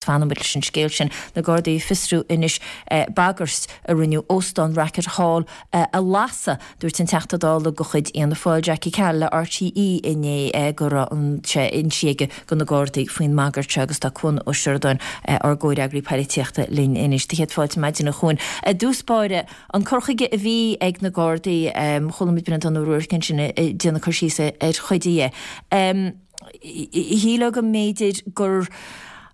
Fanfaimid leis an scéal sin. Na Gardaí ag fiosrú anois bagairt a rinneadh óstán Racket Hall a lasadh. Dúirt an Teachta Dála de chuid Fhianna Fáil Jackie Cahill le RTÉ inné go raibh sé inste aige do na Gardaí faoin mbagairt seo agus tá Cuan Ó Seireadáin, ár gcomhfhreagraí poilitíochta linn anois. Do chéad fáilte maidin a Chuain. I dtús báire, an cur chuige a bhí ag na Gardaí, chuala muid Breandán Ó Ruairc ansin ag déanamh cur síos ar chuid dhe. Shílfeá go mb'fhéidir gur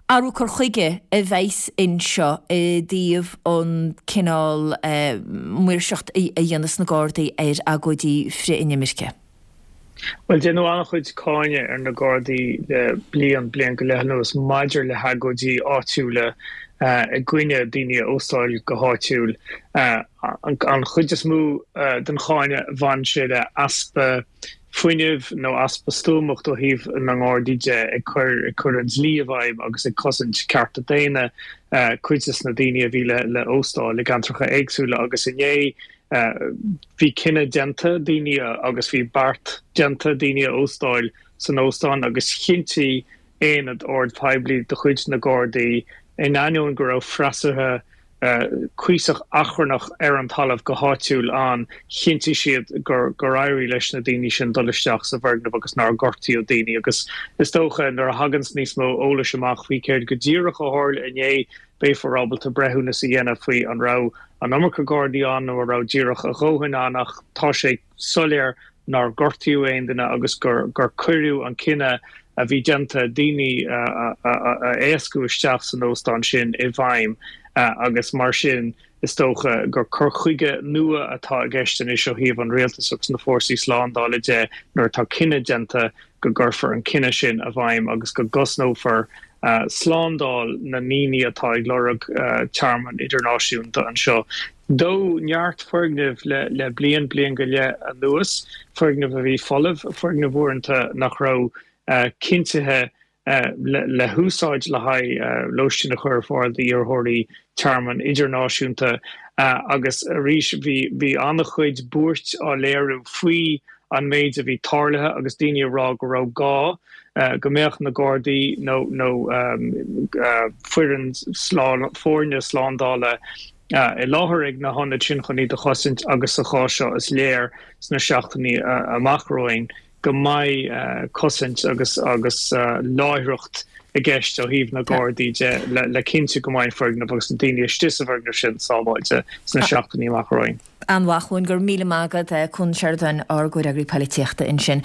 athrú cur chuige a bheas anseo i dtaobh an cineál maoirseacht a dhéanas na Gardaí ar agóidí frith-inimirce. Bhuel, déanadh an-chuid cáineadh ar na Gardaí le bliain, bliain go leith anuas maidir le hagóidí áitiúla i gcoinne daoine a óstáil go háitiúil. An chuid is mó den cháineadh, bhain sé le easpa fuinnimh nó easpa stuamacht ó thaobh na nGardaí de ag cur ag cur an dlí i bhfeidhm agus ag cosaint cearta daonna cuid des na daoine a bhí le le óstáil i gceantracha éagsúla agus inné bhí cinneadh déanta daoine agus bhí beart déanta daoine a óstáil san óstán agus chinntigh aonad ord poiblí de chuid na Gardaí in ainneoin go raibh freasúra cuíosach achrannach ar an talamh go háitiúil ann, chinntigh siad gur éirigh leis na daoine sin dul isteach sa bhfoirgneamh agus nár gortaíodh daoine. Agus is dócha, nuair a thaganns níos mó eolais amach faoi céard go díreach a tharla inné, beifear ábalta breithiúnas a dhéanamh faoi an raibh an iomarca Gardaí ann nó an raibh díreach a dhóthain ann ach tá sé soiléir nár gortaíodh aon duine agus gur cuireadh an cinneadh a bhí déanta daoine a éascú isteach san óstán sin i bhfeidhm agus mar sin is dócha gur cur chuige nua atá i gceist anois ó thaobh an rialtais agus na fórsaí slándála de nuair atá cinneadh déanta go gcuirfear an cinneadh sin i bhfeidhm agus go gcosnófar slándáil na ndaoine atá ag lorg tearmann idirnáisiúnta anseo. Dódh neart foirgneamh le bliain, bliain go leith anuas, foirgnimh a bhí folamh, foirgnimh uaireanta nach raibh cinntithe le húsáid le haghaidh lóistín a chur ar fáil d'iarrthóirí tearmainn idirnáisiúnta agus arís bhí an-chuid buairt á léiriú faoi an méid a bhí tarlaithe agus daoine ag rá go raibh gá go mbeadh na Gardaí nó nó foireann foirne slándála i láthair ag na hionaid sin chun iad a chosaint agus sa chás seo is léir sna seachtainí amach romhainn go mbeidh cosaint agus agus láithreacht i gceist ó thaobh na Gardaí de le cinntiú go mbeidh an foirgneamh agus na daoine istigh sa bhfoirgneamh sin sábháilte sna seachtainí amach romhainn. An-mhaith, a Chuain, go raibh míle maith agat, Cuan Ó Seireadáin, ár gcomhfhreagraí poilitíochta ansin.